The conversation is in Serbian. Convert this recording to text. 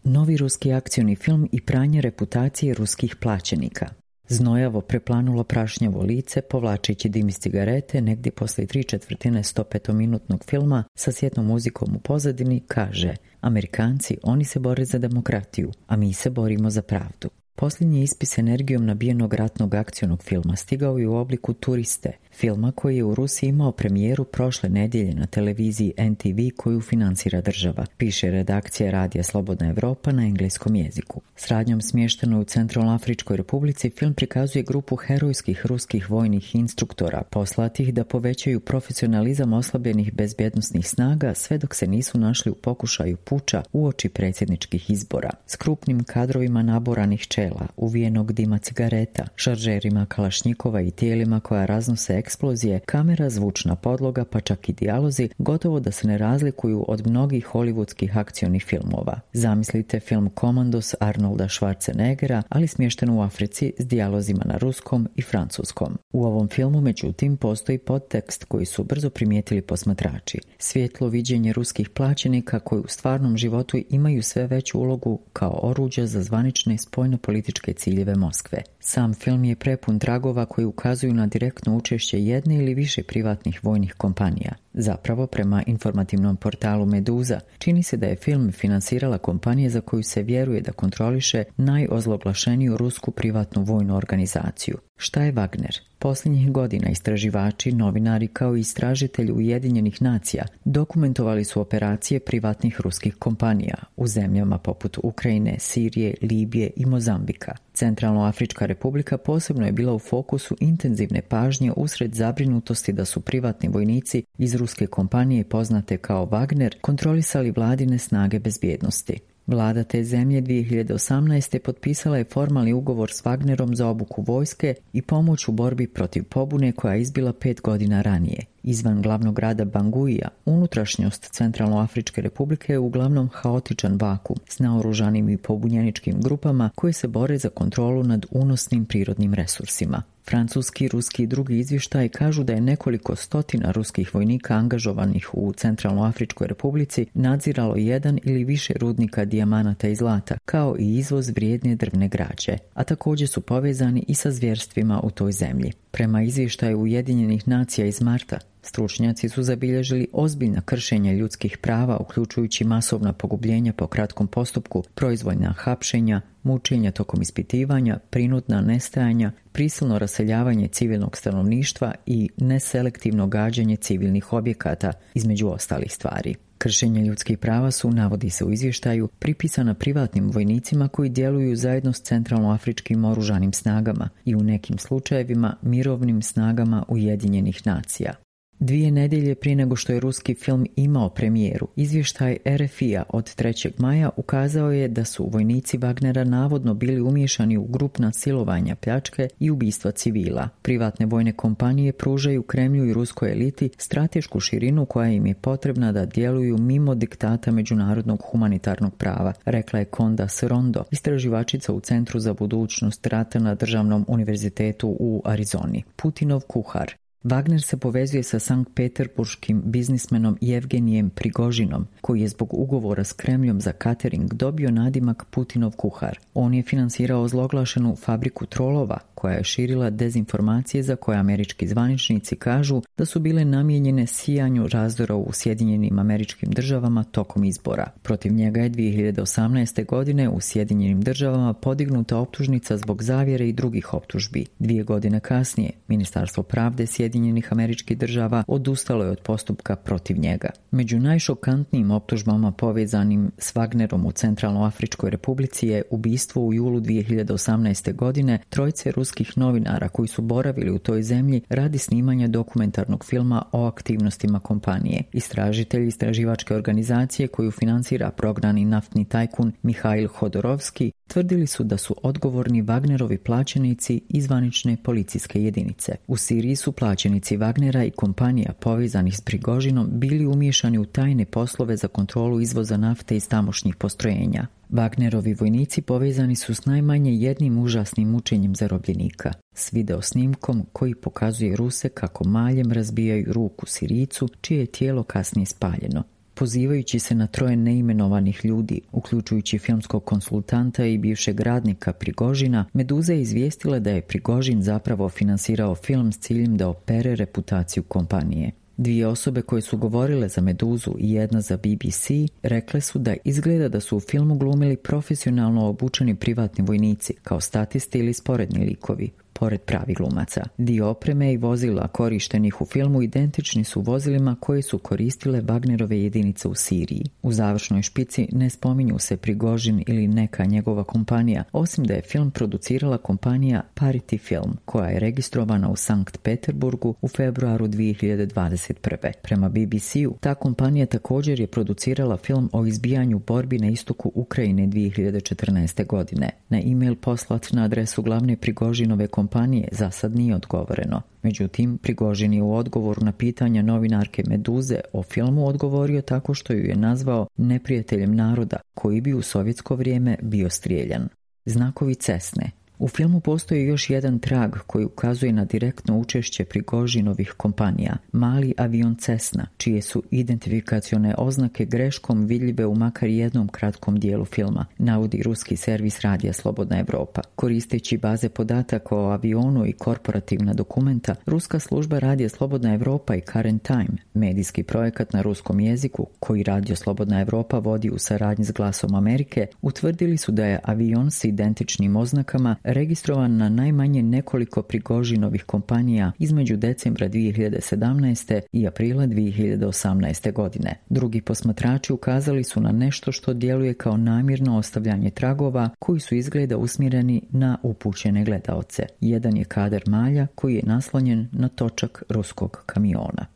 Novi ruski akcioni film i pranje reputacije ruskih plaćenika. Znojavo preplanulo prašnjavo lice, povlačeći dim iz cigarete, negdje poslije 3/4 105-minutnog filma sa sjetnom muzikom u pozadini, kaže: Amerikanci, oni se bore za demokratiju, a mi se borimo za pravdu. Posljednji ispis energijom nabijenog ratnog akcionog filma stigao je u obliku Turiste, filma koji je u Rusiji imao premijeru prošle nedjelje na televiziji NTV koju financira država, piše redakcija Radija Slobodna Evropa na engleskom jeziku. S radnjom smještenoj u Centralnoafričkoj Republici film prikazuje grupu herojskih ruskih vojnih instruktora poslatih da povećaju profesionalizam oslabljenih bezbjednosnih snaga sve dok se nisu našli u pokušaju puča uoči predsjedničkih izbora, s krupnim kadrovima naboranih čela, uvijenog dima cigareta, šaržerima kalašnjikova i tijelima koja raznose eksplozije, kamera, zvučna podloga pa čak i dijalozi gotovo da se ne razlikuju od mnogih hollywoodskih akcionih filmova. Zamislite film Komandos Arnolda Schwarzeneggera, ali smješten u Africi s dijalozima na ruskom i francuskom. U ovom filmu, međutim, postoji podtekst koji su brzo primijetili posmatrači. Svjetlo viđenje ruskih plaćenika koji u stvarnom životu imaju sve veću ulogu kao oruđa za zvanične spoljnopolitičke ciljeve Moskve. Sam film je prepun tragova koji ukazuju na direktno učešće jedne ili više privatnih vojnih kompanija. Zapravo, prema informativnom portalu Meduza, čini se da je film finansirala kompanija za koju se vjeruje da kontroliše najozloglašeniju rusku privatnu vojnu organizaciju. Šta je Wagner? Posljednjih godina istraživači, novinari kao i istražitelji Ujedinjenih nacija dokumentovali su operacije privatnih ruskih kompanija u zemljama poput Ukrajine, Sirije, Libije i Mozambika. Centralnoafrička Republika posebno je bila u fokusu intenzivne pažnje usred zabrinutosti da su privatni vojnici iz ruske kompanije poznate kao Wagner kontrolisali vladine snage bezbjednosti. Vlada te zemlje 2018. potpisala je formalni ugovor s Wagnerom za obuku vojske i pomoć u borbi protiv pobune koja je izbila 5 godina ranije. Izvan glavnog grada Banguija, unutrašnjost Centralnoafričke Republike je uglavnom haotičan vakuum s naoružanim i pobunjeničkim grupama koje se bore za kontrolu nad unosnim prirodnim resursima. Francuski, ruski i drugi izvještaji kažu da je nekoliko stotina ruskih vojnika angažovanih u Centralnoafričkoj Republici nadziralo jedan ili više rudnika dijamanata i zlata, kao i izvoz vrijedne drvne građe, a također su povezani i sa zvjerstvima u toj zemlji. Prema izvještaju Ujedinjenih nacija iz marta, stručnjaci su zabilježili ozbiljna kršenja ljudskih prava, uključujući masovna pogubljenja po kratkom postupku, proizvoljna hapšenja, mučenja tokom ispitivanja, prinudna nestajanja, prisilno raseljavanje civilnog stanovništva i neselektivno gađanje civilnih objekata, između ostalih stvari. Kršenje ljudskih prava su, navodi se u izvještaju, pripisana privatnim vojnicima koji djeluju zajedno s centralnoafričkim oružanim snagama i u nekim slučajevima mirovnim snagama Ujedinjenih nacija. 2 nedjelje prije nego što je ruski film imao premijeru, izvještaj RFI-a od 3. maja ukazao je da su vojnici Wagnera navodno bili umiješani u grupna silovanja, pljačke i ubistva civila. Privatne vojne kompanije pružaju Kremlju i ruskoj eliti stratešku širinu koja im je potrebna da djeluju mimo diktata međunarodnog humanitarnog prava, rekla je Conda Rondo, istraživačica u Centru za budućnost rata na Državnom univerzitetu u Arizoni. Putinov kuhar. Wagner se povezuje sa sankt-peterburškim biznismenom Jevgenijem Prigožinom, koji je zbog ugovora s Kremljom za catering dobio nadimak Putinov kuhar. On je finansirao ozloglašenu fabriku trolova, koja je širila dezinformacije za koje američki zvaničnici kažu da su bile namijenjene sijanju razdora u Sjedinjenim Američkim Državama tokom izbora. Protiv njega je 2018. godine u Sjedinjenim Državama podignuta optužnica zbog zavjere i drugih optužbi. 2 godine kasnije, Ministarstvo pravde Sjedinjenih Američkih Država odustalo je od postupka protiv njega. Među najšokantnijim optužbama povezanim s Wagnerom u Centralnoafričkoj Republici je ubistvo u julu 2018. godine 3 ruskih novinara koji su boravili u toj zemlji radi snimanja dokumentarnog filma o aktivnostima kompanije. Istražitelji istraživačke organizacije koju financira prognani naftni tajkun Mihail Hodorovski tvrdili su da su odgovorni Wagnerovi plaćenici i zvanične policijske jedinice. U Siriji su plaćenici Wagnera i kompanija povezanih s Prigožinom bili umiješani u tajne poslove za kontrolu izvoza nafte iz tamošnjih postrojenja. Wagnerovi vojnici povezani su s najmanje jednim užasnim mučenjem zarobljenika, s videosnimkom koji pokazuje Ruse kako maljem razbijaju ruku Sirijcu čije je tijelo kasnije spaljeno. Pozivajući se na 3 neimenovanih ljudi, uključujući filmskog konsultanta i bivšeg radnika Prigožina, Meduza je izvijestila da je Prigožin zapravo finansirao film s ciljem da opere reputaciju kompanije. 2 osobe koje su govorile za Meduzu i jedna za BBC rekle su da izgleda da su u filmu glumili profesionalno obučeni privatni vojnici, kao statisti ili sporedni likovi, pored pravih glumaca. Dio opreme i vozila korištenih u filmu identični su vozilima koje su koristile Wagnerove jedinice u Siriji. U završnoj špici ne spominju se Prigožin ili neka njegova kompanija, osim da je film producirala kompanija Parity Film, koja je registrovana u Sankt Peterburgu u februaru 2021. Prema BBC-u, ta kompanija također je producirala film o izbijanju borbi na istoku Ukrajine 2014. godine. Na e-mail poslat na adresu glavne Prigožinove kompanije za sad nije odgovoreno. Međutim, Prigožin je u odgovoru na pitanja novinarke Meduze o filmu odgovorio tako što ju je nazvao neprijateljem naroda koji bi u sovjetsko vrijeme bio strijeljan. Znakovi Cessne. U filmu postoji još jedan trag koji ukazuje na direktno učešće Prigožinovih kompanija, mali avion Cessna, čije su identifikacione oznake greškom vidljive u makar jednom kratkom dijelu filma, navodi ruski servis Radija Slobodna Evropa. Koristeći baze podataka o avionu i korporativna dokumenta, ruska služba Radija Slobodna Evropa i Current Time, medijski projekat na ruskom jeziku koji Radio Slobodna Evropa vodi u saradnji s Glasom Amerike, utvrdili su da je avion s identičnim oznakama registrovan na najmanje nekoliko Prigožinovih kompanija između decembra 2017. i aprila 2018. godine. Drugi posmatrači ukazali su na nešto što djeluje kao namjerno ostavljanje tragova koji su izgleda usmjereni na upućene gledaoce. Jedan je kadar malja koji je naslonjen na točak ruskog kamiona.